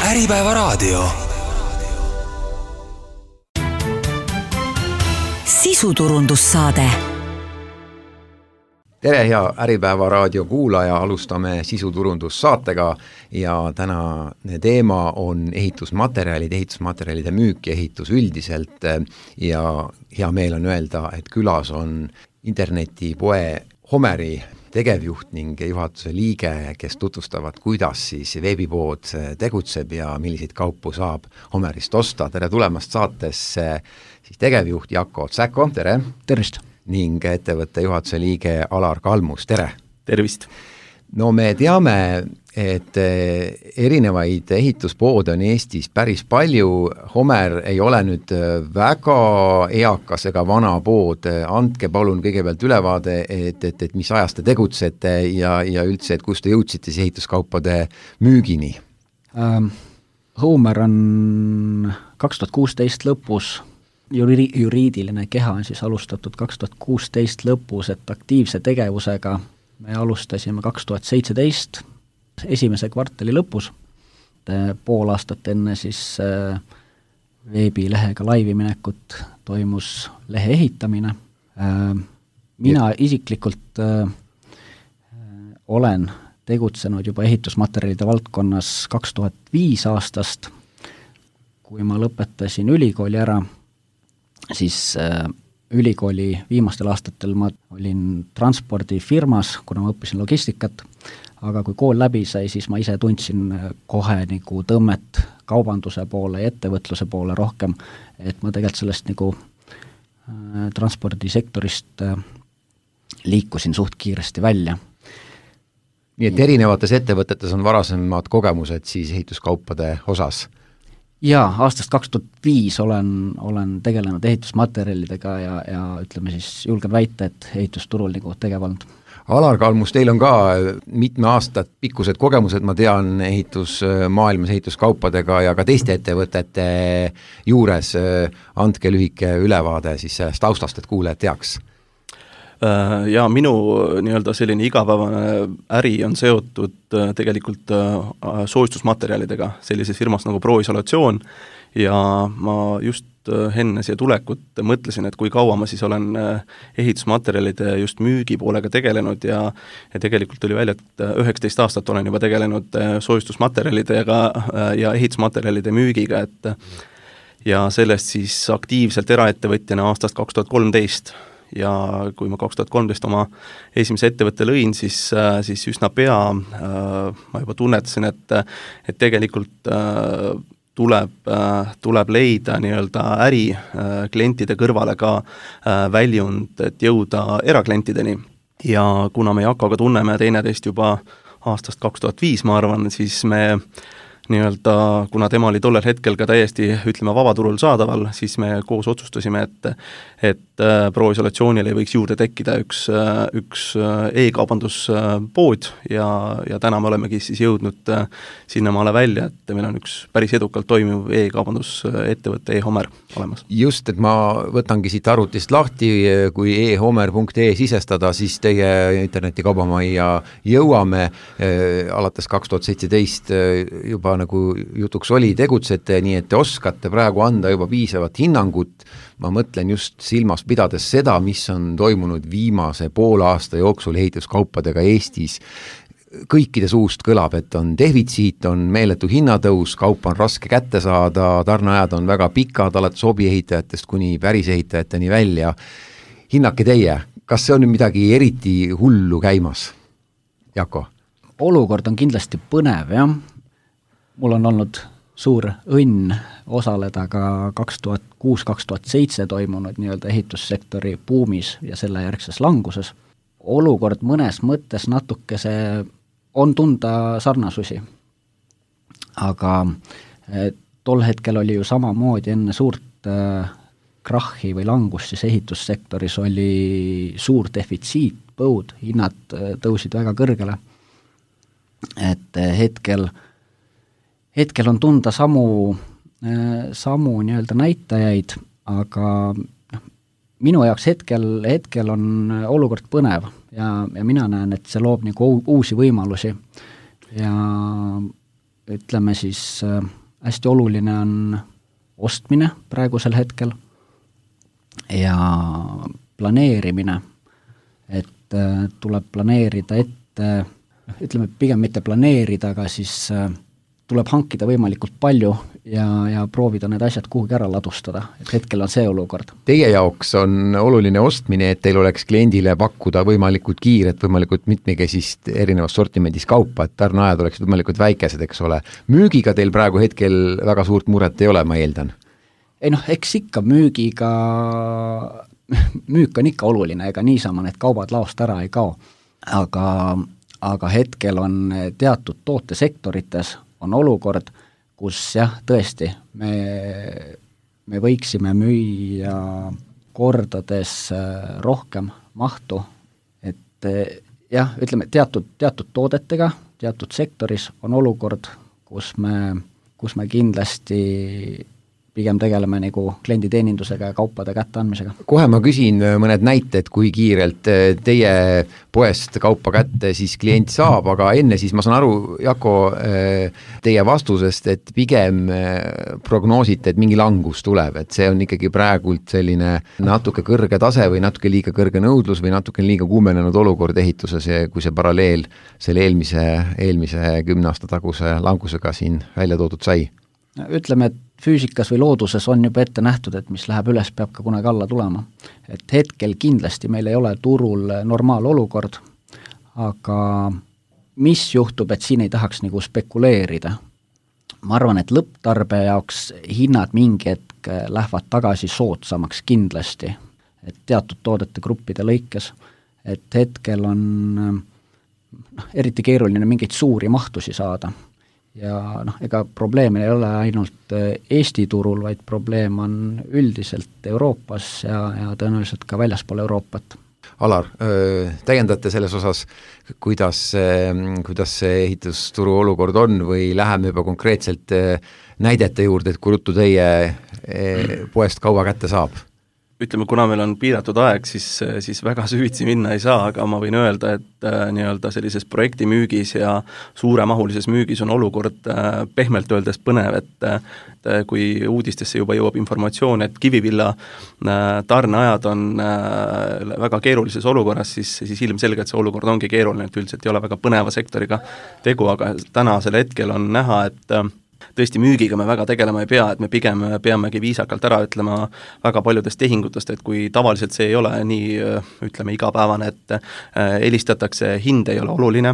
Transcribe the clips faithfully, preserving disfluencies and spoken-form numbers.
Äripäevaraadio. Sisuturundussaade. Tere, hea Äripäevaraadio kuulaja, alustame sisuturundussaatega ja tänane teema on ehitusmaterjalid, ehitusmaterjalide müük ja ehitus üldiselt ja hea meel on öelda, et külas on internetipoe Homeri tegevjuht ning juhatuse liige, kes tutvustavad, kuidas siis veebipood tegutseb ja milliseid kaupu saab Homerist osta. Tere tulemast saatesse siis tegevjuht Jako Tsäko, tere! Tervist! Ning ettevõtte juhatuse liige Alar Kalmus, tere! Tervist! No me teame, et erinevaid ehituspoode on Eestis päris palju. Homer ei ole nüüd väga eakas ega vana pood. Andke palun kõigepealt ülevaade, et, et, et mis ajast te tegutsete ja, ja üldse, et kus te jõudsite siis ehituskaupade müügini? Ähm, Homer on kaks tuhat kuusteist lõpus, juri, juriidiline keha on siis alustatud kaks tuhat kuusteist lõpus, et aktiivse tegevusega me alustasime kaks tuhat seitseteist esimese kvartali lõpus, pool aastat enne siis veebilehega laivi minekut toimus lehe ehitamine. Mina isiklikult olen tegutsenud juba ehitusmaterjalide valdkonnas kaks tuhat viis aastast, kui ma lõpetasin ülikooli ära, siis ülikooli viimastel aastatel ma olin transpordifirmas, kuna ma õppisin logistikat, aga kui kool läbi sai, siis ma ise tundsin kohe nagu tõmmet kaubanduse poole ja ettevõtluse poole rohkem, et ma tegelikult sellest nagu äh, transpordisektorist äh, liikusin suht kiiresti välja. Nii et erinevates ettevõtetes on varasemad kogemused siis ehituskaupade osas? Jaa, aastast kaks tuhat viis olen, olen tegelenud ehitusmaterjalidega ja, ja ütleme siis julgen väita, et ehitusturul nagu tegevanud. Alar Kalmus, teil on ka mitme aastat pikkused kogemused, ma tean, ehitusmaailmas ehituskaupadega ja ka teiste ettevõtete juures. Andke lühike ülevaade siis sellest taustast, et kuulajad teaks. Ja minu nii-öelda selline igapäevane äri on seotud tegelikult soojustusmaterjalidega sellises firmas nagu Proisolatsioon ja ma just enne siia tulekut mõtlesin, et kui kaua ma siis olen ehitusmaterjalide just müügi poolega tegelenud ja, ja tegelikult tuli välja, et üheksateist aastat olen juba tegelenud soojustusmaterjalidega ja ehitusmaterjalide müügiga, et ja sellest siis aktiivselt eraettevõtjana aastast kaks tuhat kolmteist ja kui ma kaks tuhat kolmteist oma esimese ettevõtte lõin, siis, siis üsna pea äh, ma juba tunnetasin, et, et tegelikult äh, tuleb, äh, tuleb leida nii-öelda äri äh, klientide kõrvale ka äh, väljund, et jõuda eraklientideni. Ja kuna me Jakoga tunneme teineteist juba aastast kaks tuhat viis, ma arvan, siis me nii-öelda, kuna tema oli tollel hetkel ka täiesti, ütleme, vabaturul saadaval, siis me koos otsustasime, et, et Proisolatsioonile võiks juurde tekkida üks, üks e-kaubanduspood ja, ja täna me olemegi siis jõudnud sinnamaale välja, et meil on üks päris edukalt toimiv e-kaubandusettevõtte e-Homer olemas. Just, et ma võtangi siit arvutist lahti, kui e homer punkt e sisestada, siis teie internetikaubamajja jõuame alates kaks tuhat seitseteist juba nagu jutuks oli, tegutsete, nii et te oskate praegu anda juba piisavat hinnangut. Ma mõtlen just silmas pidades seda, mis on toimunud viimase poole aasta jooksul ehituskaupadega Eestis. Kõikide suust kõlab, et on defitsiit, on meeletu hinnatõus, kaup on raske kätte saada, tarneajad on väga pikad, alates hobiehitajatest kuni pärisehitajateni välja. Hinnake teie, kas see on midagi eriti hullu käimas? Jako? Olukord on kindlasti põnev, jah. Mul on olnud suur õnn osaleda ka kaks tuhat kuus kaks tuhat seitse toimunud nii-öelda ehitussektori buumis ja selle järgses languses. Olukord mõnes mõttes natuke see on tunda sarnasusi, aga tol hetkel oli ju samamoodi enne suurt krahhi või langust, siis ehitussektoris oli suur defitsiit, põud, hinnad tõusid väga kõrgele, et hetkel hetkel on tunda samu, samu nii-öelda näitajaid, aga minu jaoks hetkel, hetkel on olukord põnev ja, ja mina näen, et see loob nagu uusi võimalusi ja ütleme siis hästi oluline on ostmine praegusel hetkel ja planeerimine, et tuleb planeerida ette, ütleme pigem mitte planeerida, aga siis tuleb hankida võimalikult palju ja, ja proovida need asjad kuhugi ära ladustada, et hetkel on see olukord. Teie jaoks on oluline ostmine, et teil oleks kliendile pakkuda võimalikult kiiret, võimalikult mitmekesist erinevas sortimendis kaupa, et tarneajad oleksid võimalikult väikesed, eks ole. Müügiga teil praegu hetkel väga suurt muret ei ole, ma eeldan? Ei noh, eks ikka müügiga, müük on ikka oluline, ega niisama need kaubad laost ära ei kao, aga, aga hetkel on teatud tootesektorites on olukord, kus jah, tõesti, me, me võiksime müüa kordades rohkem mahtu, et jah, ütleme, teatud, teatud toodetega, teatud sektoris on olukord, kus me, kus me kindlasti pigem tegeleme nagu klienditeenindusega ja kaupade kätteandmisega. Kohe ma küsin mõned näited, kui kiirelt teie poest kaupa kätte siis klient saab, aga enne siis ma saan aru, Jako, teie vastusest, et pigem prognoosite, et mingi langus tuleb, et see on ikkagi praegult selline natuke kõrge tase või natuke liiga kõrge nõudlus või natuke liiga kuumenenud olukord ehituses, kui see paralleel selle eelmise, eelmise kümne aasta taguse langusega siin välja toodud sai? Ütleme, et füüsikas või looduses on juba ette nähtud, et mis läheb üles, peab ka kunagi alla tulema. Et hetkel kindlasti meil ei ole turul normaalolukord, aga mis juhtub, et siin ei tahaks nagu spekuleerida. Ma arvan, et lõpptarbe jaoks hinnad mingi hetk lähevad tagasi soodsamaks kindlasti, et teatud toodete gruppide lõikes, et hetkel on eriti keeruline mingeid suuri mahtusi saada. Ja noh, ega probleem ei ole ainult Eesti turul, vaid probleem on üldiselt Euroopas ja, ja tõenäoliselt ka väljaspool Euroopat. Alar, täiendate selles osas, kuidas, kuidas see ehitusturu olukord on või läheme juba konkreetselt näidete juurde, et kui ruttu teie poest kaua kätte saab? Ütleme, kuna meil on piiratud aeg, siis, siis väga süvitsi minna ei saa, aga ma võin öelda, et äh, nii-öelda sellises projektimüügis ja suuremahulises müügis on olukord äh, pehmelt öeldes põnev, et äh, kui uudistesse juba jõuab informatsioon, et Kivivilla äh, tarneajad on äh, väga keerulises olukorras, siis, siis ilmselgelt see olukord ongi keeruline, et üldiselt ei ole väga põneva sektoriga tegu, aga tänasel hetkel on näha, et äh, tõesti müügiga me väga tegelema ei pea, et me pigem peamegi viisakalt ära ütlema väga paljudest tehingutest, et kui tavaliselt see ei ole nii, ütleme, igapäevane, et helistatakse, hind ei ole oluline,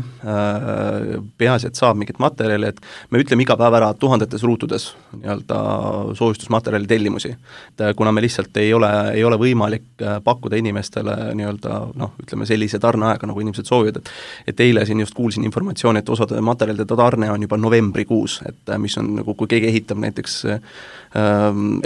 peaasi, et saab mingit materjali, et me ütleme iga päev ära tuhandetes ruutudes nii-öelda soojustusmaterjali tellimusi. Et kuna me lihtsalt ei ole, ei ole võimalik pakkuda inimestele nii-öelda, noh, ütleme sellise tarneaega, nagu inimesed soovivad, et, et eile siin just kuulsin informatsiooni, et osade materjalide tarne on juba novembrikuus, et mis on nagu kui keegi ehitab näiteks äh,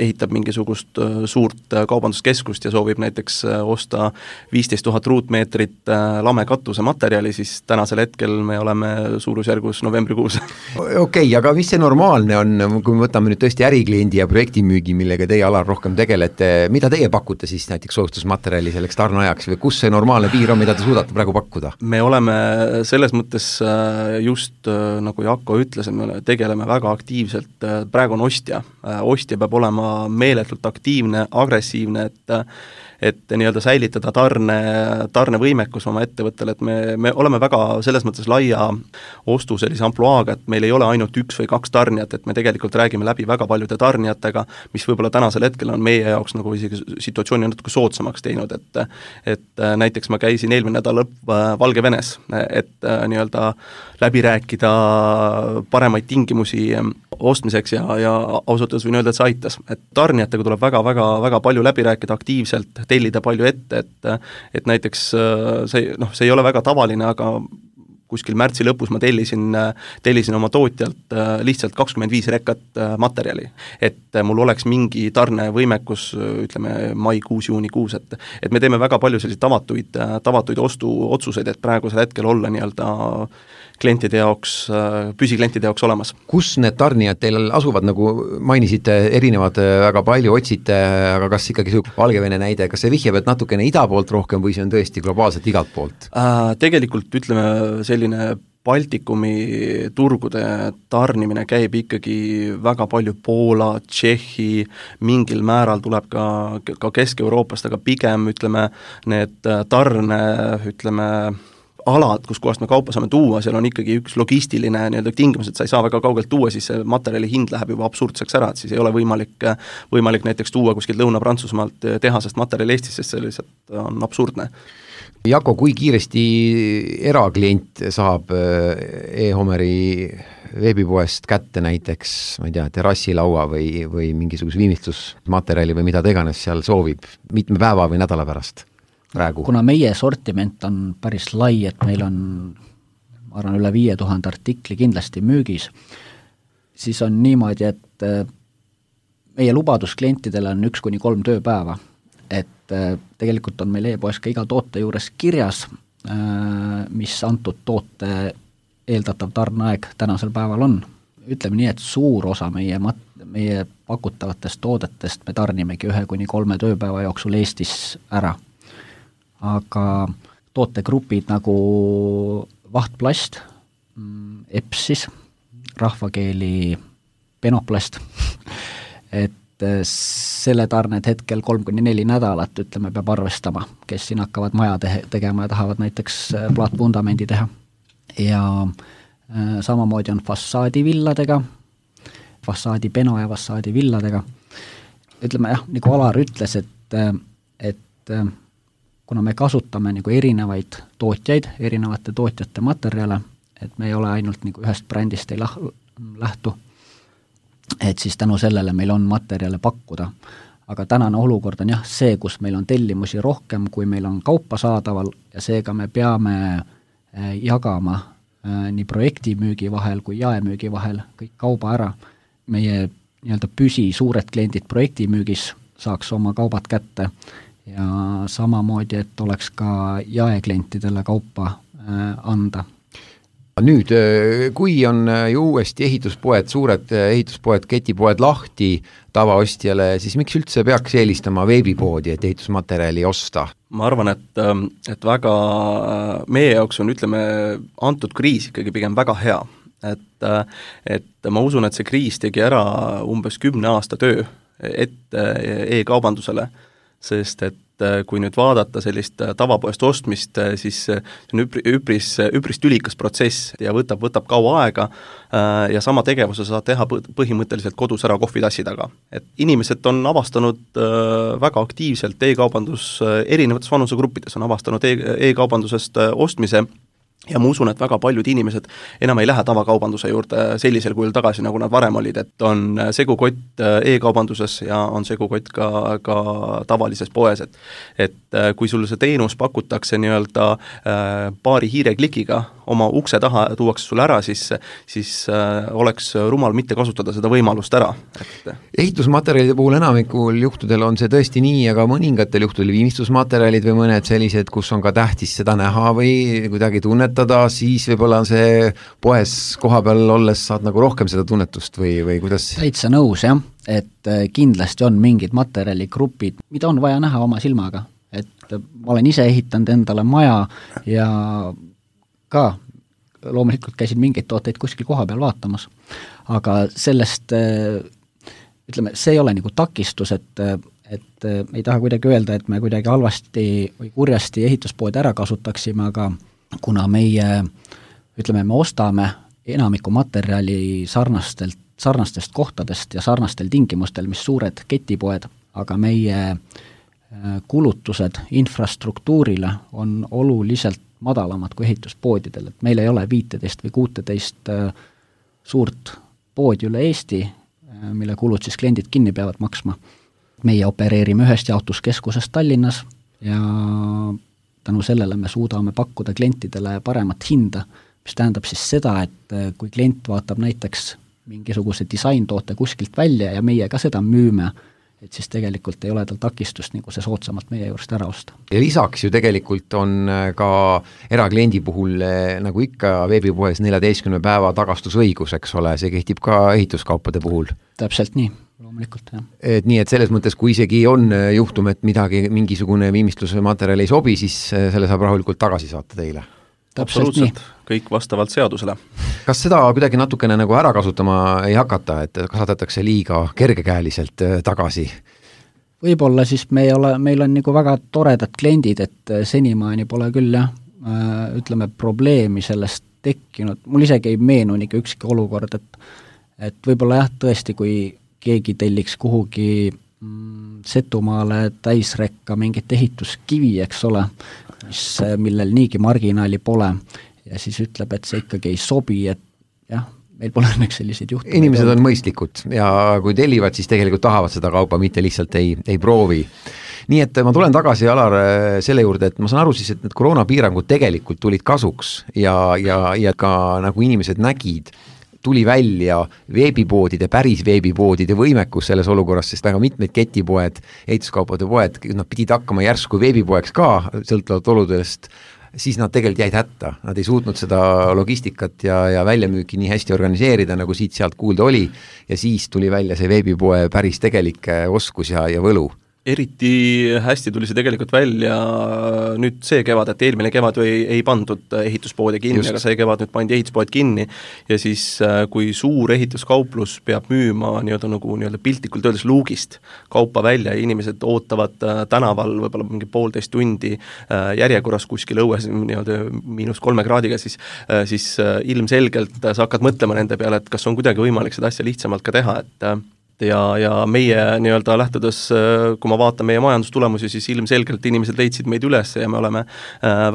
ehitab mingisugust äh, suurt äh, kaubanduskeskust ja soovib näiteks äh, osta viisteist tuhat ruutmeetrit äh, lamekatuse materjali, siis tänasel hetkel me oleme suurusjärgus novembrikuus. Okei, okay, aga mis see normaalne on, kui me võtame nüüd tõesti ärikliendi ja projektimüügi, millega teie alal rohkem tegelete, mida teie pakute siis näiteks soojustusmaterjali selleks tarneajaks või kus see normaalne piir on, mida te suudate praegu pakkuda? Me oleme selles mõttes äh, just äh, nagu Jako ütles, et me tegeleme väga aktiivselt, praegu on ostja, ostja peab olema meeletult aktiivne, agressiivne, et et nii-öelda säilitada tarne, tarnevõimekus oma ettevõttele, et me, me oleme väga selles mõttes laia ostu sellise ampluaaga, et meil ei ole ainult üks või kaks tarnijat, et me tegelikult räägime läbi väga paljude tarnijatega, mis võib-olla tänasel hetkel on meie jaoks nagu isegi situatsiooni natuke soodsamaks teinud, et et näiteks ma käisin eelmine nädal lõpp Valgevenes, et nii-öelda läbi rääkida paremaid tingimusi ostmiseks ja, ja ausalt öeldes võin öelda, et see aitas. Et tarnijatega tuleb väga, väga, väga palju läbi rääkida aktiivselt, tellida palju ette, et, et näiteks see, noh, see ei ole väga tavaline, aga kuskil märtsi lõpus ma tellisin, tellisin oma tootjalt lihtsalt kakskümmend viis rekat materjali. Et mul oleks mingi tarnevõimekus, ütleme, maikuus, juunikuus, et, et me teeme väga palju selliseid tavatuid, tavatuid ostuotsuseid, et praegusel hetkel olla nii-öelda klientide jaoks, püsiklientide jaoks olemas. Kus need tarnijad teil asuvad, nagu mainisite, erinevad väga palju, otsite, aga kas ikkagi see Valgevene näide, kas see vihjab, et natukene ida poolt rohkem või see on tõesti globaalselt igalt poolt? Äh, tegelikult ütleme, selline Baltikumi turgude tarnimine käib ikkagi väga palju Poola, Tšehhi, mingil määral tuleb ka, ka Kesk-Euroopast, aga pigem ütleme, need tarne, ütleme, alad, kus kohast me kaupa saame tuua, seal on ikkagi üks logistiline nii-öelda tingimus, et sa ei saa väga kaugelt tuua, siis see materjali hind läheb juba absurdseks ära, et siis ei ole võimalik, võimalik näiteks tuua kuskilt Lõuna-Prantsusmaalt tehasest materjali Eestis, sest see lihtsalt on absurdne. Jako, kui kiiresti eraklient saab e-Homeri veebipoest kätte näiteks, ma ei tea, terrassilaua või, või mingisuguse viimistlusmaterjali või mida teganes seal soovib, mitme päeva või nädala pärast? Praegu. Kuna meie sortiment on päris lai, et meil on, ma arvan, üle viie tuhande artikli kindlasti müügis, siis on niimoodi, et meie lubadus klientidele on üks kuni kolm tööpäeva, et tegelikult on meil e-poes ka iga toote juures kirjas, mis antud toote eeldatav tarneaeg tänasel päeval on. Ütleme nii, et suur osa meie, mat- meie pakutavatest toodetest me tarnimegi ühe kuni kolme tööpäeva jooksul Eestis ära. Aga tootegrupid nagu vahtplast, epsis, rahvakeeli penoplast, et selle tarned hetkel kolm kuni neli nädalat, ütleme, peab arvestama, kes siin hakkavad maja te- tegema ja tahavad näiteks plaatvundamendi teha. Ja äh, samamoodi on fassaadivilladega, fassaadipeno ja fassaadivilladega. Ütleme jah, nagu Alar ütles, et, et kuna me kasutame nagu erinevaid tootjaid, erinevate tootjate materjale, et me ei ole ainult nagu ühest brändist ei lähtu, et siis tänu sellele meil on materjale pakkuda. Aga tänane olukord on jah see, kus meil on tellimusi rohkem, kui meil on kaupa saadaval ja seega me peame jagama nii projektimüügi vahel kui jaemüügi vahel kõik kauba ära. Meie nii-öelda püsi suured kliendid projektimüügis saaks oma kaubad kätte ja samamoodi, et oleks ka jaeklientidele kaupa anda. Nüüd, kui on ju uuesti ehituspoed, suured ehituspoed, ketipoed lahti tavaostjale, siis miks üldse peaks eelistama veebipoodi, et ehitusmaterjali osta? Ma arvan, et, et väga meie jaoks on, ütleme, antud kriis ikkagi pigem väga hea. Et, et ma usun, et see kriis tegi ära umbes kümne aasta töö ette e-kaubandusele, sest et kui nüüd vaadata sellist tavapoest ostmist, siis see on üpri, üpris, üpris tülikas protsess ja võtab, võtab kaua aega ja sama tegevuse saad teha põhimõtteliselt kodus ära kohvitassi taga. Et inimesed on avastanud väga aktiivselt e-kaubandus, erinevates vanusegruppides on avastanud e-kaubandusest ostmise ja ma usun, et väga paljud inimesed enam ei lähe tavakaubanduse juurde sellisel kujul tagasi, nagu nad varem olid, et on segukott e-kaubanduses ja on segukott ka, ka tavalises poes, et et kui sul see teenus pakutakse nii-öelda paari hiireklikiga, oma ukse taha tuuakse sulle ära, siis, siis oleks rumal mitte kasutada seda võimalust ära. Et... ehitusmaterjalide puhul enamikul juhtudel on see tõesti nii, aga mõningatel juhtudel viimistlusmaterjalid või mõned sellised, kus on ka tähtis seda näha või kuidagi tunnetada, siis võib-olla on see poes koha peal olles saad nagu rohkem seda tunnetust või, või kuidas? Täitsa nõus, jah, et kindlasti on mingid materjaligrupid, mida on vaja näha oma silmaga, et ma olen ise ehitanud endale maja ja ka loomulikult käisin mingeid tooteid kuskil koha peal vaatamas, aga sellest, ütleme, see ei ole nagu takistus, et, et ei taha kuidagi öelda, et me kuidagi halvasti või kurjasti ehituspood ära kasutaksime, aga kuna meie, ütleme, me ostame enamiku materjali sarnastelt, sarnastest kohtadest ja sarnastel tingimustel, mis suured ketipoed, aga meie kulutused infrastruktuurile on oluliselt madalamad kui ehituspoodidel, et meil ei ole viiteist või kuuteist suurt poodi üle Eesti, mille kulud siis kliendid kinni peavad maksma. Meie opereerime ühest jaotuskeskusest Tallinnas ja tänu sellele me suudame pakkuda klientidele paremat hinda, mis tähendab siis seda, et kui klient vaatab näiteks mingisuguse disaintoote kuskilt välja ja meie ka seda müüme, et siis tegelikult ei ole tal takistust nagu see soodsamalt meie juurest ära osta. Ja lisaks ju tegelikult on ka erakliendi puhul nagu ikka veebipoes neljateistkümne päeva tagastusõigus, eks ole, see kehtib ka ehituskaupade puhul. Täpselt nii, loomulikult, jah. Et nii, et selles mõttes, kui isegi on juhtum, et midagi, mingisugune viimistluse materjal ei sobi, siis selle saab rahulikult tagasi saata teile. absoluutselt, kõik vastavalt seadusele. Kas seda kuidagi natukene nagu ära kasutama ei hakata, et kasvatatakse liiga kergekäeliselt tagasi? Võib-olla siis me ei ole, meil on nagu väga toredad kliendid, et senimaani pole küll jah, ütleme probleemi sellest tekkinud, mul isegi ei meenu niisugune ükski olukord, et, et võib-olla jah, tõesti, kui keegi telliks kuhugi mm, Setumaale täisrekka mingit ehituskivi, eks ole, mis, millel niigi marginaali pole, ja siis ütleb, et see ikkagi ei sobi, et jah, meil pole õnneks selliseid juhtumeid. Inimesed on mõistlikud ja kui tellivad, siis tegelikult tahavad seda kaupa, mitte lihtsalt ei, ei proovi. Nii et ma tulen tagasi, Alar, selle juurde, et ma saan aru siis, et need koroonapiirangud tegelikult tulid kasuks ja, ja, ja ka nagu inimesed nägid, tuli välja veebipoodide, päris veebipoodide võimekus selles olukorras, sest väga mitmed ketipoed, ehituskaupade poed, nad pidid hakkama järsku veebipoeks ka, sõltuvalt oludest, siis nad tegelikult jäid hätta, nad ei suutnud seda logistikat ja, ja väljamüüki nii hästi organiseerida, nagu siit-sealt kuulda oli, ja siis tuli välja see veebipoe päris tegelik oskus ja, ja võlu. Eriti hästi tuli see tegelikult välja nüüd see kevad, et eelmine kevad ju ei, ei pandud ehituspoodi kinni, Just. aga see kevad nüüd pandi ehituspood kinni ja siis kui suur ehituskauplus peab müüma nii-öelda nagu nii-öelda piltlikult öeldes luugist kaupa välja ja inimesed ootavad tänaval võib-olla mingi poolteist tundi järjekorras kuskil õues nii-öelda miinus kolme kraadiga, siis, siis ilmselgelt sa hakkad mõtlema nende peale, et kas on kuidagi võimalik seda asja lihtsamalt ka teha, et ja, ja meie nii-öelda lähtudes, kui ma vaatan meie majandustulemusi, siis ilmselgelt inimesed leidsid meid üles ja me oleme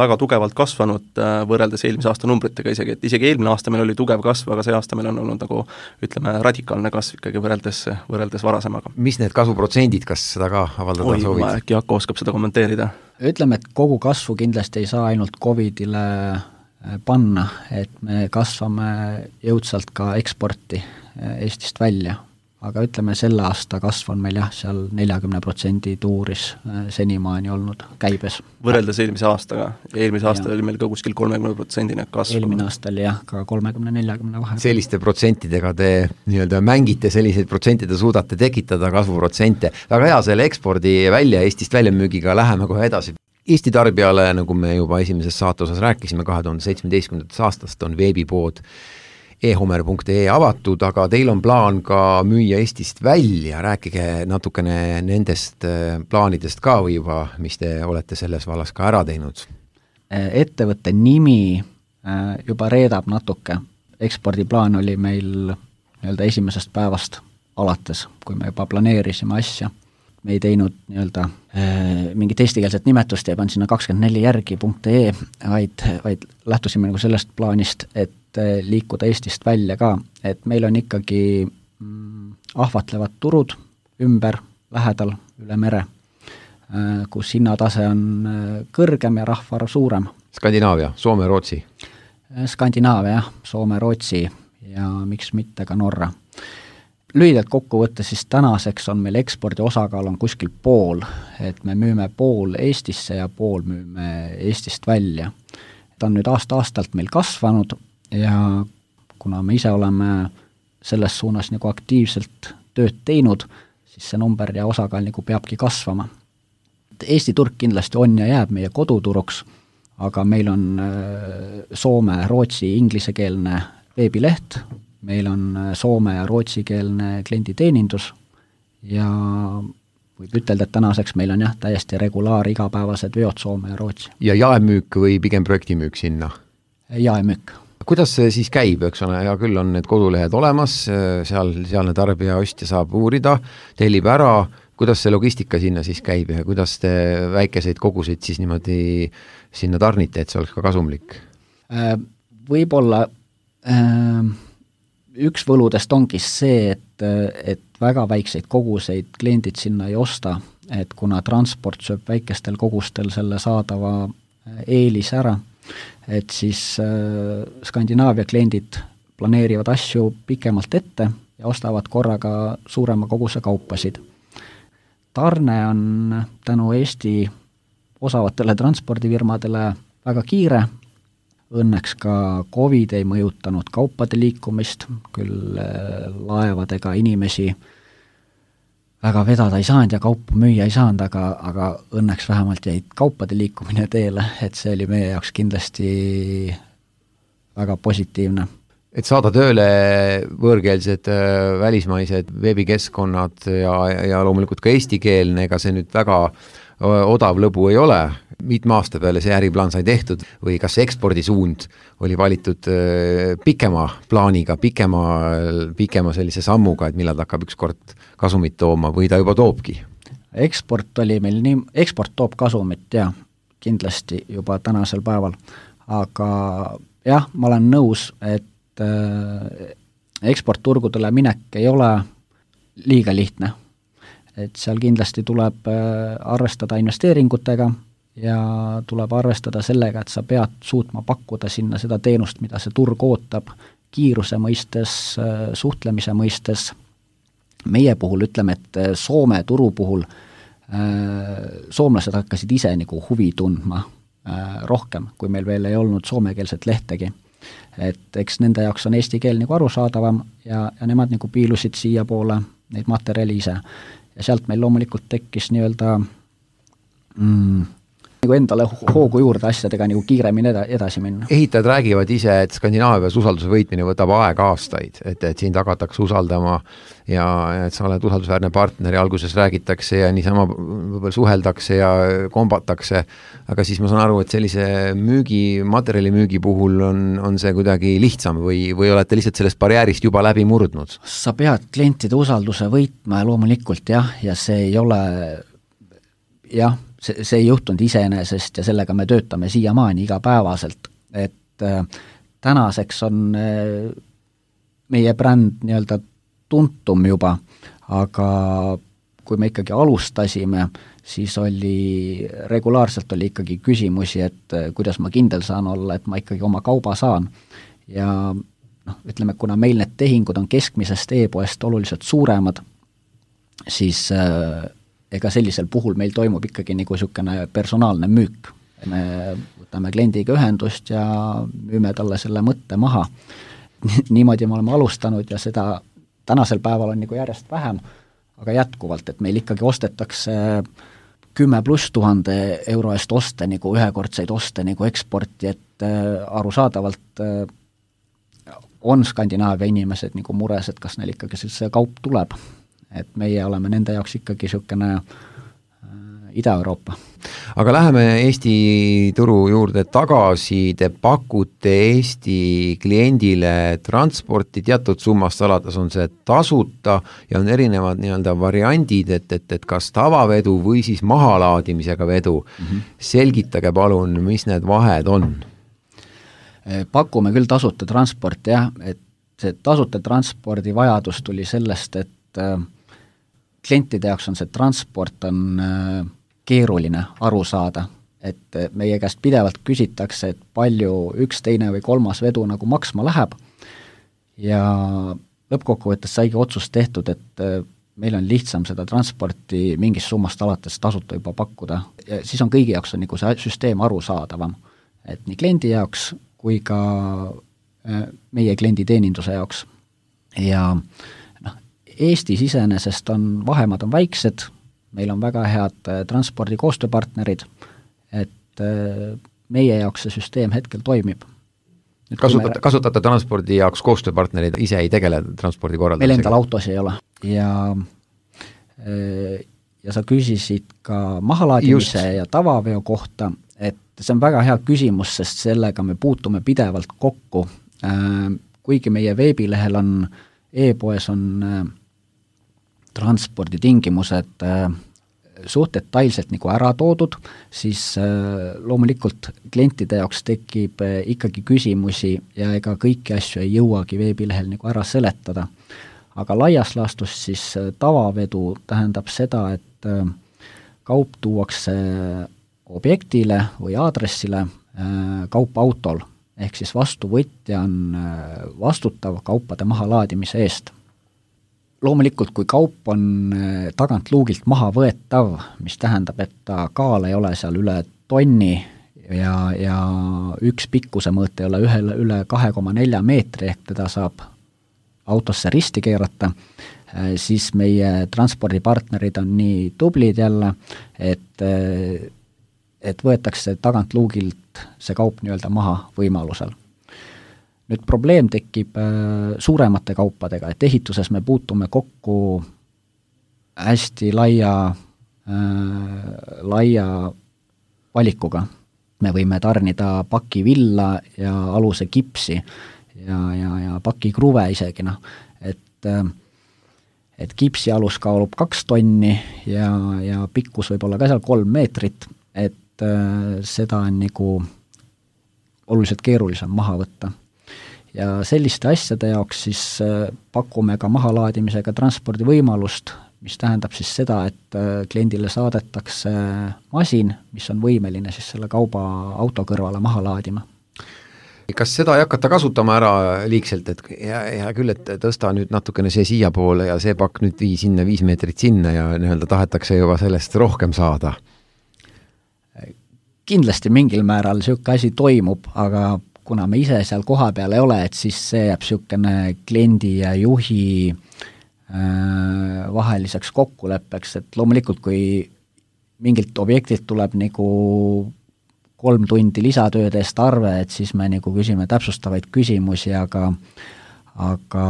väga tugevalt kasvanud võrreldes eelmise aasta numbritega isegi, et isegi eelmine aasta meil oli tugev kasv, aga see aasta meil on olnud nagu ütleme radikaalne kasv ikkagi võrreldes, võrreldes varasemaga. Mis need kasvuprotsendid, kas seda ka avaldada Oi, soovid? Äkki Jakko oskab seda kommenteerida? Ütleme, et kogu kasvu kindlasti ei saa ainult Covidile panna, et me kasvame jõudsalt ka eksporti Eestist välja. Aga ütleme, selle aasta kasv on meil jah, seal neljakümne protsendi tuuris senimaani olnud käibes. Võrreldes eelmise aastaga. Eelmise aasta ja. oli meil ka kuskil kolmekümne protsendine kasv. Eelmine aasta oli jah, ka kolmekümne neljakümne vahel. Selliste protsentidega te nii-öelda mängite, selliseid protsentide suudate tekitada kasvuprotsente. Väga hea selle ekspordi välja, Eestist väljamüügiga läheme kohe edasi. Eesti tarbijale, nagu me juba esimeses saatosas rääkisime, kahe tuhande seitsmeteistkümnendast aastast on veebipood e homer punkt ee avatud, aga teil on plaan ka müüa Eestist välja, rääkige natukene nendest plaanidest ka või juba, mis te olete selles vallas ka ära teinud? Ettevõtte nimi juba reedab natuke, ekspordiplaan oli meil nii-öelda esimesest päevast alates, kui me juba planeerisime asja. Me ei teinud nii-öelda mingit eestikeelset nimetust ja pannud sinna kakskümmend neli järgi punkt ee, vaid, vaid lähtusime nagu sellest plaanist, et liikuda Eestist välja ka, et meil on ikkagi mm, ahvatlevad turud ümber, lähedal, üle mere, kus hinnatase on kõrgem ja rahvaarv suurem. Skandinaavia, Soome, Rootsi? Skandinaavia, jah, Soome, Rootsi ja miks mitte ka Norra. Lühidalt kokku võttes, siis tänaseks on meil ekspordi osakaal on kuskil pool, et me müüme pool Eestisse ja pool müüme Eestist välja. Ta on nüüd aasta-aastalt meil kasvanud ja kuna me ise oleme selles suunas nagu aktiivselt tööd teinud, siis see number ja osakaal nagu peabki kasvama. Eesti turg kindlasti on ja jääb meie koduturuks, aga meil on Soome, Rootsi, inglisekeelne veebileht, meil on soome- ja rootsikeelne klienditeenindus ja võib ütelda, et tänaseks meil on jah, täiesti regulaar igapäevased veod Soome ja Rootsi. Ja jaemüük või pigem projektimüük sinna? Jaemüük. Kuidas see siis käib, eks ole, ja küll on need kodulehed olemas, seal, sealne tarbija ostja saab uurida, tellib ära, kuidas see logistika sinna siis käib ja kuidas te väikeseid koguseid siis niimoodi sinna tarnite, et see oleks ka kasumlik? Võib-olla üks võludest ongi see, et, et väga väikseid koguseid kliendid sinna ei osta, et kuna transport sööb väikestel kogustel selle saadava eelis ära, et siis äh, Skandinaavia kliendid planeerivad asju pikemalt ette ja ostavad korraga suurema koguse kaupasid. Tarne on tänu Eesti osavatele transpordifirmadele väga kiire, õnneks ka Covid ei mõjutanud kaupade liikumist, küll laevadega inimesi väga vedada ei saanud ja kaupu müüa ei saanud, aga, aga õnneks vähemalt jäid kaupade liikumine teele, et see oli meie jaoks kindlasti väga positiivne. Et saada tööle võõrkeelsed välismaised veebikeskkonnad ja, ja loomulikult ka eestikeelne, ega see nüüd väga odav lõbu ei ole. Mitme aasta peale see äriplaan sai tehtud või kas ekspordisuund oli valitud pikema plaaniga, pikema, pikema sellise sammuga, et millal ta hakkab ükskord kasumit tooma või ta juba toobki? Eksport oli meil nii, eksport toob kasumit ja kindlasti juba tänasel päeval, aga jah, ma olen nõus, et eksportturgudele minek ei ole liiga lihtne. Et seal kindlasti tuleb arvestada investeeringutega ja tuleb arvestada sellega, et sa pead suutma pakkuda sinna seda teenust, mida see turg ootab, kiiruse mõistes, suhtlemise mõistes. Meie puhul ütleme, et Soome turu puhul soomlased hakkasid ise nagu huvi tundma rohkem, kui meil veel ei olnud soomekeelset lehtegi. Et eks nende jaoks on eesti keel nagu arusaadavam ja, ja nemad nagu piilusid siia poole neid materjali ise. Ja sealt meil loomulikult tekkis nii-öelda mm, nagu endale hoogu juurde asjadega nagu kiiremini eda, edasi minna. Ehitajad räägivad ise, et Skandinaavias usalduse võitmine võtab aega aastaid, et, et sind hakatakse usaldama ja et sa oled usaldusväärne partner ja alguses räägitakse ja niisama võib-olla suheldakse ja kombatakse, aga siis ma saan aru, et sellise müügi, materjali müügi puhul on, on see kuidagi lihtsam või, või olete lihtsalt sellest barjäärist juba läbi murdnud? Sa pead klientide usalduse võitma ja loomulikult jah, ja see ei ole jah, see, see ei juhtunud iseenesest ja sellega me töötame siiamaani igapäevaselt, et äh, tänaseks on äh, meie bränd nii-öelda tuntum juba, aga kui me ikkagi alustasime, siis oli, regulaarselt oli ikkagi küsimusi, et äh, kuidas ma kindel saan olla, et ma ikkagi oma kauba saan ja noh, ütleme, kuna meil need tehingud on keskmisest e-poest oluliselt suuremad, siis äh, ega sellisel puhul meil toimub ikkagi nagu niisugune personaalne müük. Me võtame kliendiga ühendust ja müüme talle selle mõtte maha. Niimoodi me oleme alustanud ja seda tänasel päeval on nagu järjest vähem, aga jätkuvalt, et meil ikkagi ostetakse kümme pluss tuhande euro eest oste, nagu ühekordseid oste nagu eksporti, et arusaadavalt on Skandinaavia inimesed nagu mures, et kas neil ikkagi see kaup tuleb. Et meie oleme nende jaoks ikkagi niisugune Ida-Euroopa. Aga läheme Eesti turu juurde tagasi, te pakute Eesti kliendile transporti, teatud summast alates on see tasuta ja on erinevad nii-öelda variandid, et, et, et kas tavavedu või siis mahalaadimisega vedu. Mm-hmm. Selgitage palun, mis need vahed on? Pakume küll tasuta transport, jah, et see tasuta transpordi vajadus tuli sellest, et klientide jaoks on see transport on keeruline aru saada, et meie käest pidevalt küsitakse, et palju üks, teine või kolmas vedu nagu maksma läheb ja lõppkokkuvõttes saigi otsus tehtud, et meil on lihtsam seda transporti mingist summast alates tasuta juba pakkuda ja siis on kõigi jaoks on nagu see süsteem arusaadavam, et nii kliendi jaoks kui ka meie kliendi teeninduse jaoks ja noh, Eestis iseenesest on vahemad on väiksed, meil on väga head transpordi koostööpartnerid, et meie jaoks see süsteem hetkel toimib. Kasutate, me... kasutate transpordi jaoks koostööpartnerid, ise ei tegele transpordi korraldamisega? Meil endal autos ei ole ja, ja sa küsisid ka mahalaadimise Just. ja tavaveo kohta, et see on väga hea küsimus, sest sellega me puutume pidevalt kokku, kuigi meie veebilehel on, e-poes on transporditingimused suht detailselt nagu ära toodud, siis loomulikult klientide jaoks tekib ikkagi küsimusi ja ega kõiki asju ei jõuagi veebilehel nagu ära seletada. Aga laias laastus siis tavavedu tähendab seda, et kaup tuuakse objektile või aadressile kaupautol, ehk siis vastuvõtja on vastutav kaupade mahalaadimise eest. Loomulikult, kui kaup on tagant luugilt maha võetav, mis tähendab, et ta kaal ei ole seal üle tonni ja, ja üks pikkuse mõõt ei ole ühe, üle kahe koma nelja meetri, ehk teda saab autosse risti keerata, siis meie transpordipartnerid on nii tublid jälle, et, et võetakse tagant luugilt see kaup nii-öelda maha võimalusel. Nüüd probleem tekib suuremate kaupadega, et ehituses me puutume kokku hästi laia, äh, laia valikuga. Me võime tarnida paki villa ja aluse kipsi ja, ja, ja paki kruve isegi, noh, et äh, et kipsi alus kaalub kaks tonni ja, ja pikkus võib olla ka seal kolm meetrit, et äh, seda on nagu oluliselt keerulisem maha võtta. Ja selliste asjade jaoks siis äh, pakume ka mahalaadimisega transpordi võimalust, mis tähendab siis seda, et äh, kliendile saadetakse masin, mis on võimeline siis selle kauba auto kõrvale maha laadima. Kas seda ei hakata kasutama ära liigselt, et hea, hea küll, et tõsta nüüd natukene see siia poole ja see pakk nüüd vii sinna, viis meetrit sinna ja nii-öelda tahetakse juba sellest rohkem saada? Kindlasti mingil määral niisugune asi toimub, aga kuna me ise seal koha peal ei ole, et siis see jääb niisugune kliendi ja juhi äh, vaheliseks kokkuleppeks, et loomulikult kui mingilt objektilt tuleb nagu kolm tundi lisatööd eest arve, et siis me nagu küsime täpsustavaid küsimusi, aga aga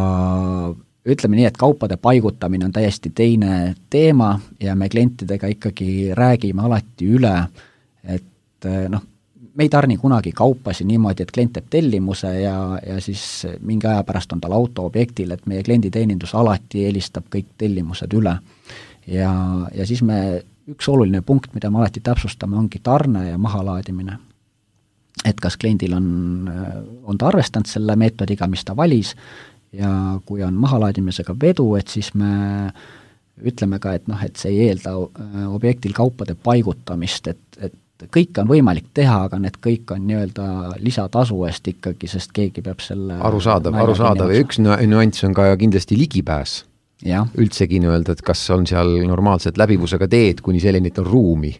ütleme nii, et kaupade paigutamine on täiesti teine teema ja me klientidega ikkagi räägime alati üle, et noh, me ei tarni kunagi kaupasi niimoodi, et klient teeb tellimuse ja, ja siis mingi aja pärast on tal auto objektil, et meie klienditeenindus alati helistab kõik tellimused üle. Ja, ja siis me üks oluline punkt, mida me alati täpsustame, ongi tarne ja mahalaadimine. Et kas kliendil on, on ta arvestanud selle meetodiga, mis ta valis, ja kui on mahalaadimisega vedu, et siis me ütleme ka, et, noh, et see ei eelda objektil kaupade paigutamist, et, et kõike on võimalik teha, aga need kõik on nii-öelda lisatasu eest ikkagi, sest keegi peab selle arusaadav, arusaadav ja üks nüanss on ka kindlasti ligipääs. Ja. Üldsegi nii-öelda, et kas on seal normaalselt läbivusega teed, kuni selleni, et on ruumi.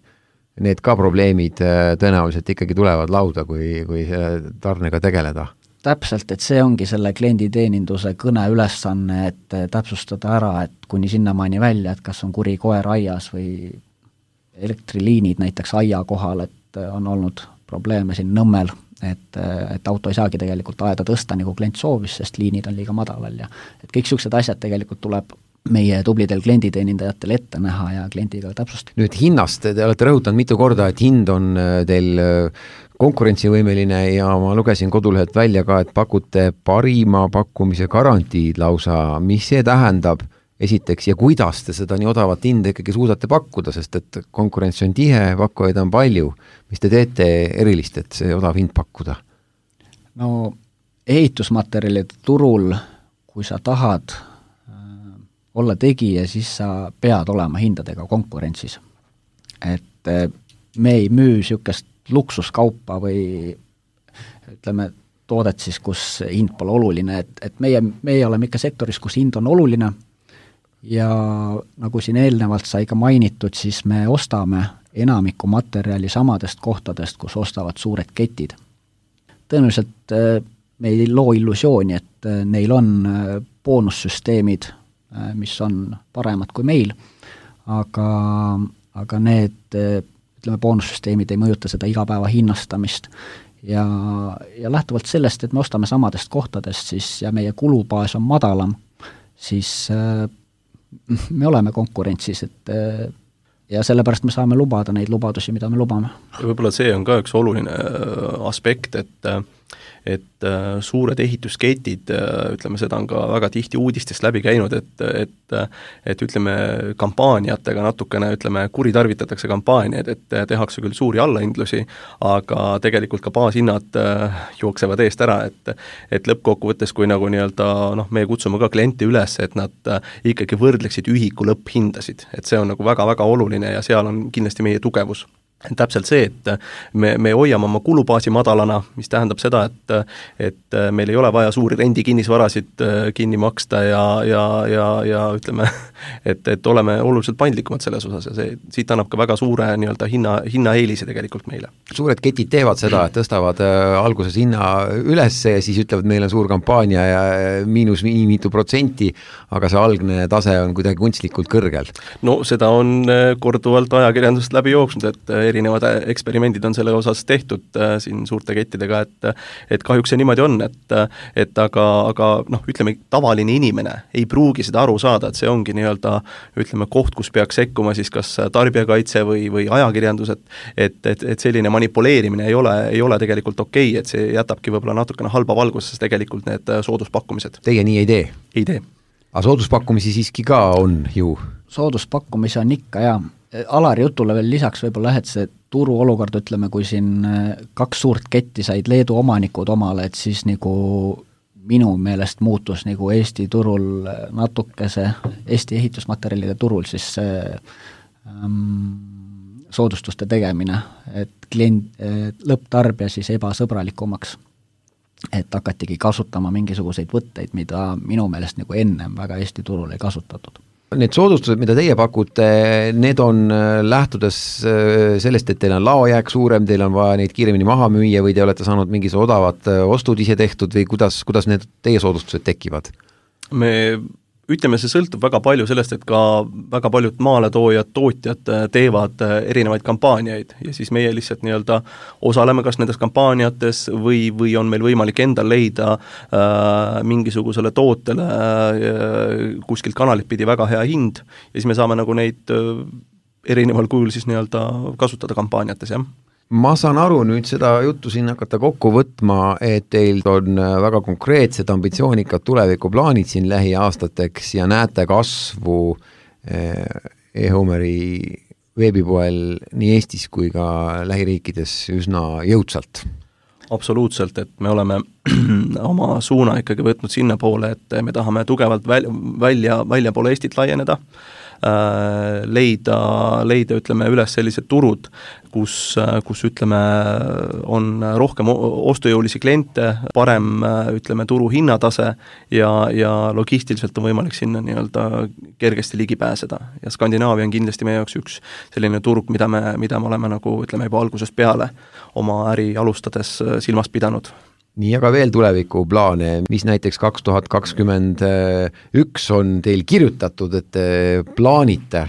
Need ka probleemid tõenäoliselt ikkagi tulevad lauda, kui, kui tarnega tegeleda. Täpselt, et see ongi selle klienditeeninduse kõne ülesanne, et täpsustada ära, et kuni sinnamaani välja, et kas on kuri koer aias või elektriliinid näiteks aia kohal, et on olnud probleeme siin Nõmmel, et, et auto ei saagi tegelikult aeda tõsta, nagu klient soovis, sest liinid on liiga madalal ja et kõik niisugused asjad tegelikult tuleb meie tublidel klienditeenindajatel ette näha ja kliendiga täpsustada. Nüüd hinnast, te olete rõhutanud mitu korda, et hind on teil konkurentsivõimeline ja ma lugesin kodulehelt välja ka, et pakute parima pakkumise garantiid lausa, mis see tähendab esiteks ja kuidas te seda nii odavat hinda ikkagi suudate pakkuda, sest et konkurents on tihe, pakkujaid on palju. Mis te teete erilist, et see odav hind pakkuda? No ehitusmaterjalide turul, kui sa tahad äh, olla tegija, siis sa pead olema hindadega konkurentsis. Et äh, me ei müü niisugust luksuskaupa või ütleme toodet siis, kus hind pole oluline, et, et meie, meie oleme ikka sektoris, kus hind on oluline ja nagu siin eelnevalt sai ka mainitud, siis me ostame enamiku materjali samadest kohtadest, kus ostavad suured ketid. Tõenäoliselt me ei loo illusiooni, et neil on boonussüsteemid, mis on paremad kui meil, aga, aga need ütleme, boonussüsteemid ei mõjuta seda igapäeva hinnastamist ja, ja lähtuvalt sellest, et me ostame samadest kohtadest siis, ja meie kulubaas on madalam, siis me oleme konkurentsis, et ja sellepärast me saame lubada neid lubadusi, mida me lubame. Ja võib-olla see on ka üks oluline aspekt, et et suured ehitusketid, ütleme, seda on ka väga tihti uudistest läbi käinud, et, et, et ütleme, kampaaniatega natukene, ütleme, kuritarvitatakse kampaaniaid, et tehakse küll suuri allahindlusi, aga tegelikult ka baashinnad jooksevad eest ära, et, et lõppkokkuvõttes, kui nagu nii-öelda, noh, me kutsume ka kliente üles, et nad ikkagi võrdleksid ühiku lõpphindasid, et see on nagu väga-väga oluline ja seal on kindlasti meie tugevus. täpselt see, et me, me hoiame oma kulubaasi madalana, mis tähendab seda, et, et meil ei ole vaja suuri rendikinnisvarasid kinni maksta ja, ja, ja, ja ütleme, et, et oleme oluliselt paindlikumad selles osas ja see, siit annab ka väga suure nii-öelda hinna, hinnaeelise tegelikult meile. Suured ketid teevad seda, et tõstavad alguses hinna üles ja siis ütlevad, meil on suur kampaania ja miinus nii mitu protsenti, aga see algne tase on kuidagi kunstlikult kõrgel. No seda on korduvalt ajakirjandust läbi jooksnud, et erinevad eksperimendid on selle osas tehtud äh, siin suurte kettidega, et et kahjuks see niimoodi on, et et aga, aga noh, ütleme, tavaline inimene ei pruugi seda aru saada, et see ongi nii-öelda, ütleme, koht, kus peaks sekkuma siis kas tarbijakaitse või, või ajakirjandus, et, et, et, et selline manipuleerimine ei ole, ei ole tegelikult okei, et see jätabki võib-olla natukene halba valguses tegelikult need sooduspakkumised. Teie nii ei tee? Ei tee. Aga sooduspakkumisi siiski ka on ju? Sooduspakkumisi on ikka, jaa. Alari jutule veel lisaks võib-olla, et see turu olukord, ütleme, kui siin kaks suurt ketti said Leedu omanikud omale, et siis nagu minu meelest muutus nagu Eesti turul natuke see, Eesti ehitusmaterjalide turul siis see ähm, soodustuste tegemine, et klient, lõpptarbija siis ebasõbralikumaks, et hakatigi kasutama mingisuguseid võtteid, mida minu meelest nagu ennem väga Eesti turul ei kasutatud. Need soodustused, mida teie pakute, need on lähtudes sellest, et teil on laojääk suurem, teil on vaja neid kiiremini maha müüa või te olete saanud mingis odavad ostud ise tehtud või kuidas, kuidas need teie soodustused tekivad? Me ütleme, see sõltub väga palju sellest, et ka väga paljud maaletoojad, tootjad teevad erinevaid kampaaniaid ja siis meie lihtsalt nii-öelda osaleme kas nendes kampaaniates või, või on meil võimalik endal leida äh, mingisugusele tootele äh, kuskilt kanalit pidi väga hea hind ja siis me saame nagu neid äh, erineval kujul siis nii-öelda kasutada kampaaniates, jah. Ma saan aru nüüd seda juttu siin hakata kokku võtma, et teil on väga konkreetsed ambitsioonikad tulevikuplaanid siin lähiaastateks ja näete kasvu e-Homeri veebipoel nii Eestis kui ka lähiriikides üsna jõudsalt. Absoluutselt, et me oleme oma suuna ikkagi võtnud sinna poole, et me tahame tugevalt väl, välja, välja poole Eestit laieneda, leida, leida, ütleme, üles sellised turud, kus, kus ütleme, on rohkem ostujõulisi kliente, parem, ütleme, turu hinnatase ja, ja logistiliselt on võimalik sinna nii-öelda kergesti ligi pääseda. Ja Skandinaavia on kindlasti meie jaoks üks selline turg, mida me, mida me oleme nagu, ütleme, juba algusest peale oma äri alustades silmas pidanud. Nii, aga veel tuleviku plaane, mis näiteks kaks tuhat kakskümmend üks on teil kirjutatud, et plaanite,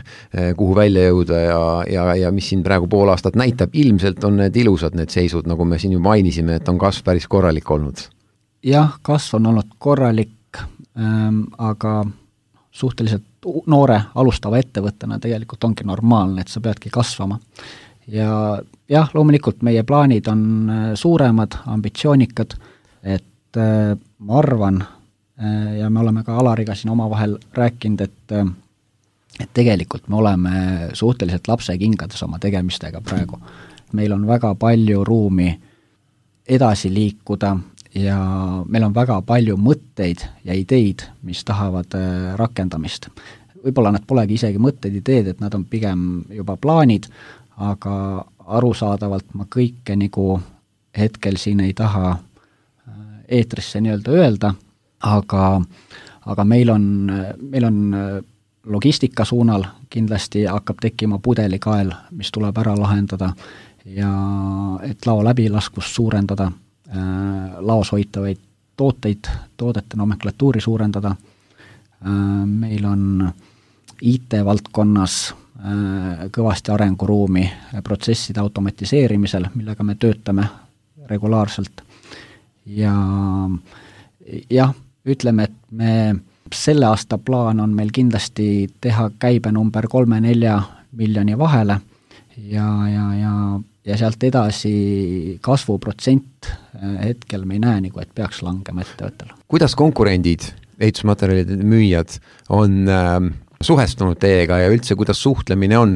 kuhu välja jõuda ja, ja, ja mis siin praegu pool aastat näitab, ilmselt on need ilusad need seisud, nagu me siin ju mainisime, et on kasv päris korralik olnud. Jah, kasv on olnud korralik, ähm, aga suhteliselt noore alustava ettevõttena tegelikult ongi normaalne, et sa peadki kasvama. Ja jah, loomulikult meie plaanid on suuremad, ambitsioonikad, et äh, ma arvan äh, ja me oleme ka Alariga siin omavahel rääkinud, et, äh, et tegelikult me oleme suhteliselt lapsekingades oma tegemistega praegu. Meil on väga palju ruumi edasi liikuda ja meil on väga palju mõtteid ja ideid, mis tahavad äh, rakendamist. Võib-olla nad polegi isegi mõtteid ideed, et nad on pigem juba plaanid, aga arusaadavalt ma kõike nagu hetkel siin ei taha eetrisse nii-öelda öelda, aga, aga meil on, meil on logistika suunal kindlasti hakkab tekkima pudelikael, mis tuleb ära lahendada ja et lao läbilaskust suurendada, laos hoitavaid tooteid, toodete nomenklatuuri suurendada. Meil on I T-valdkonnas kõvasti arenguruumi protsesside automatiseerimisel, millega me töötame regulaarselt. Ja jah, ütleme, et me selle aasta plaan on meil kindlasti teha käibe number kolme-nelja miljoni vahele ja, ja, ja, ja sealt edasi kasvuprotsent hetkel me ei näe, nagu, et peaks langema ettevõttel. Kuidas konkurendid, ehitusmaterjalide müüjad on äh, suhestunud teiega ja üldse, kuidas suhtlemine on?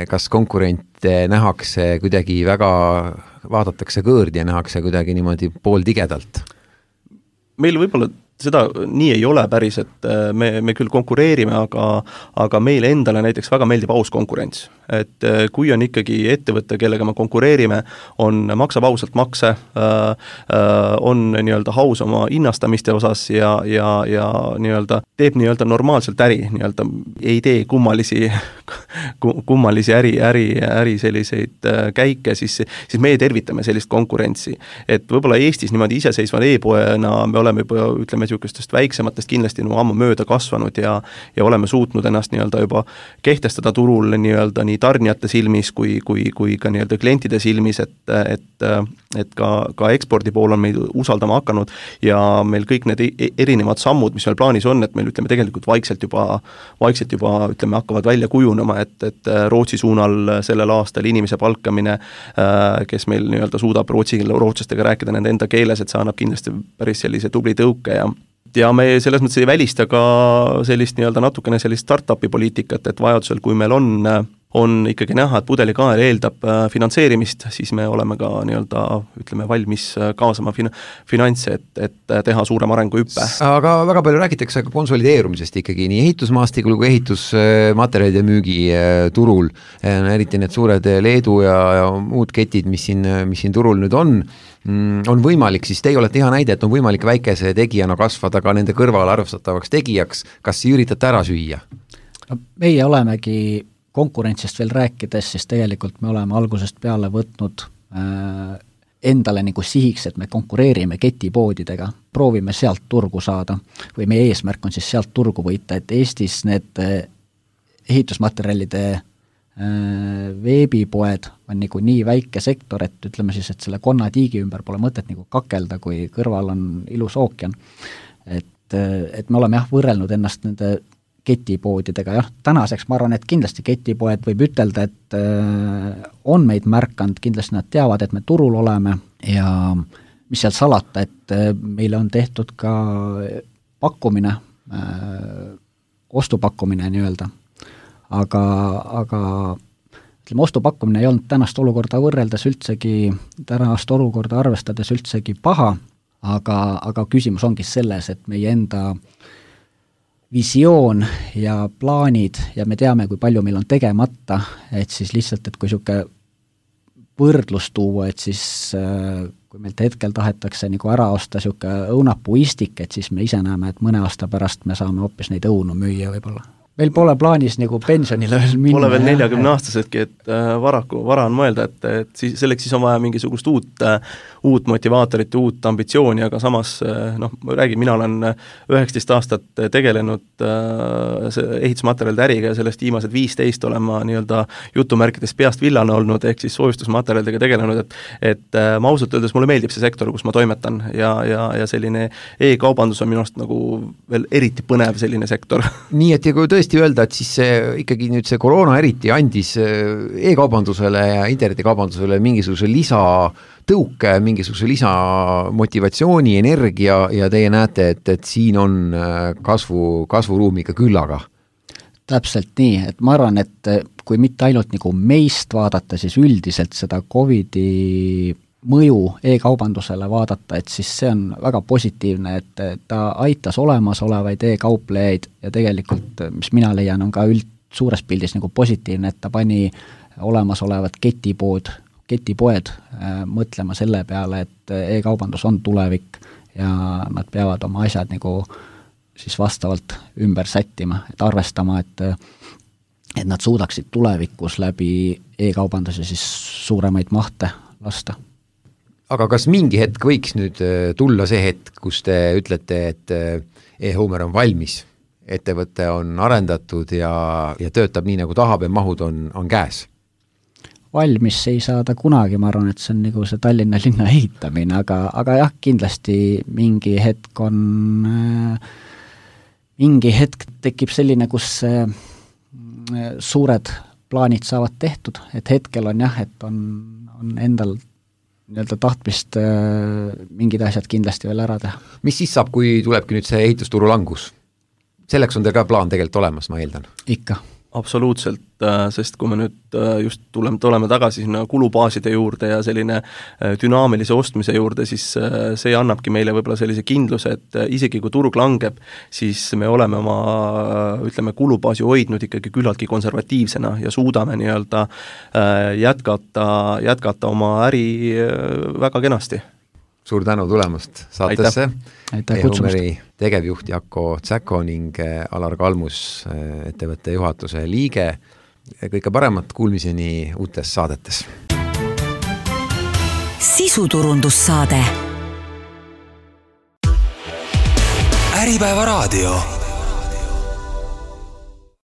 Kas konkurente nähakse kuidagi väga, vaadatakse kõõrdi ja nähakse kuidagi niimoodi pooltigedalt? Meil võib-olla seda nii ei ole päris, et me, me küll konkureerime, aga, aga meile endale näiteks väga meeldib aus konkurents. Et kui on ikkagi ettevõte, kellega me konkureerime, on, maksab ausalt makse, on nii-öelda haus oma hinnastamiste osas ja, ja, ja nii-öelda teeb nii-öelda normaalselt äri, nii-öelda ei tee kummalisi, kummalisi äri, äri, äri selliseid käike, siis, siis me tervitame sellist konkurentsi. Et võib-olla Eestis niimoodi iseseisva e-poena me oleme juba, ütleme, niisugustest väiksematest kindlasti no, ammu mööda kasvanud ja, ja oleme suutnud ennast nii-öelda juba kehtestada turul nii-öelda nii tarnijate silmis kui, kui, kui ka nii-öelda klientide silmis, et, et, et ka, ka ekspordi pool on meid usaldama hakanud ja meil kõik need erinevad sammud, mis meil plaanis on, et meil ütleme tegelikult vaikselt juba, vaikselt juba ütleme hakkavad välja kujunema, et, et Rootsi suunal sellel aastal inimese palkamine, kes meil nii-öelda suudab rootsi, rootslastega rääkida nende enda keeles, et see annab kindlasti päris sellise tubli tõuke ja ja me selles mõttes ei välista ka sellist nii-öelda natukene sellist startupi poliitikat, et vajadusel, kui meil on on ikkagi näha, et pudelikael eeldab finantseerimist, siis me oleme ka nii-öelda, ütleme, valmis kaasama fin- finantse, et, et teha suurem arengu hüppe. Aga väga palju räägitakse ka konsolideerumisest ikkagi nii ehitusmaastikul kui ehitusmaterjalide müügi turul, eriti need suured Leedu ja, ja muud ketid, mis siin, mis siin turul nüüd on, on võimalik, siis teie olete hea näide, et on võimalik väikese tegijana kasvada ka nende kõrval arvestatavaks tegijaks, kas üritate ära süüa? No, meie olemegi konkurentsist veel rääkides, siis tegelikult me oleme algusest peale võtnud äh, endale nagu sihiks, et me konkureerime ketipoodidega, proovime sealt turgu saada või meie eesmärk on siis sealt turgu võita, et Eestis need äh, ehitusmaterjalide äh, veebipoed on nagu nii väike sektor, et ütleme siis, et selle konnatiigi ümber pole mõtet nagu kakelda, kui kõrval on ilus ookean. Et, et me oleme jah võrrelnud ennast nende ketipoodidega, jah, tänaseks ma arvan, et kindlasti ketipoed võib ütelda, et äh, on meid märkanud, kindlasti nad teavad, et me turul oleme ja mis seal salata, et äh, meile on tehtud ka pakkumine, äh, ostupakkumine nii-öelda, aga, aga ütleme, ostupakkumine ei olnud tänast olukorda võrreldes üldsegi, tänast olukorda arvestades üldsegi paha, aga, aga küsimus ongi selles, et meie enda visioon ja plaanid ja me teame, kui palju meil on tegemata, et siis lihtsalt, et kui niisugune võrdlus tuua, et siis kui meilt hetkel tahetakse nagu ära osta niisugune õunapuistik, et siis me ise näeme, et mõne aasta pärast me saame hoopis neid õunu müüa võib-olla. Meil pole plaanis nagu pensionile veel minna. Pole veel neljakümne aastasedki, et varaku, vara on mõelda, et, et siis, selleks siis on vaja mingisugust uut, uut motivaatorit, uut ambitsiooni, aga samas, noh, ma räägin, mina olen üheksateist aastat tegelenud ehitusmaterjalide äriga ja sellest viimased viisteist olen ma nii-öelda jutumärkides peast villane olnud, ehk siis soojustusmaterjalidega tegelenud, et, et ma ausalt öeldes mulle meeldib see sektor, kus ma toimetan ja, ja, ja selline e-kaubandus on minu arust nagu veel eriti põnev selline sektor. Nii, et ja kui tõesti öelda, et siis see, ikkagi nüüd see koroona eriti andis e-kaubandusele ja internetikaubandusele mingisuguse lisatõuke, mingisuguse lisamotivatsiooni, energia ja teie näete, et, et siin on kasvu, kasvuruumi ka küllaga. Täpselt nii, et ma arvan, et kui mitte ainult nagu meist vaadata, siis üldiselt seda Covidi mõju e-kaubandusele vaadata, et siis see on väga positiivne, et ta aitas olemasolevaid e-kauplejaid ja tegelikult, mis mina leian, on ka üld suures pildis nagu positiivne, et ta pani olemasolevad ketipood, ketipoed äh, mõtlema selle peale, et e-kaubandus on tulevik ja nad peavad oma asjad nagu siis vastavalt ümber sättima, et arvestama, et et nad suudaksid tulevikus läbi e-kaubanduse siis suuremaid mahte lasta. Aga kas mingi hetk võiks nüüd tulla see hetk, kus te ütlete, et e-Homer on valmis, ettevõte on arendatud ja, ja töötab nii, nagu tahab ja mahud on, on käes? Valmis ei saa ta kunagi, ma arvan, et see on nagu see Tallinna linna ehitamine, aga, aga jah, kindlasti mingi hetk on, mingi hetk tekib selline, kus suured plaanid saavad tehtud, et hetkel on jah, et on, on endal nii-öelda tahtmist äh, mingid asjad kindlasti veel ära teha. Mis siis saab, kui tulebki nüüd see ehitusturu langus? Selleks on teil ka plaan tegelikult olemas, ma eeldan. Ikka. absoluutselt, sest kui me nüüd just tuleme, tuleme tagasi sinna kulubaaside juurde ja selline dünaamilise ostmise juurde, siis see annabki meile võib-olla sellise kindluse, et isegi kui turg langeb, siis me oleme oma, ütleme, kulubaasi hoidnud ikkagi küllaltki konservatiivsena ja suudame nii-öelda jätkata, jätkata oma äri väga kenasti. Suur tänu tulemast saatesse. E-Homeri tegevjuht Jako Tsäko ning Alar Kalmus, ettevõtte juhatuse liige. Kõike paremat, kuulmiseni uutes saadetes. Sisuturundussaade. Äripäeva raadio.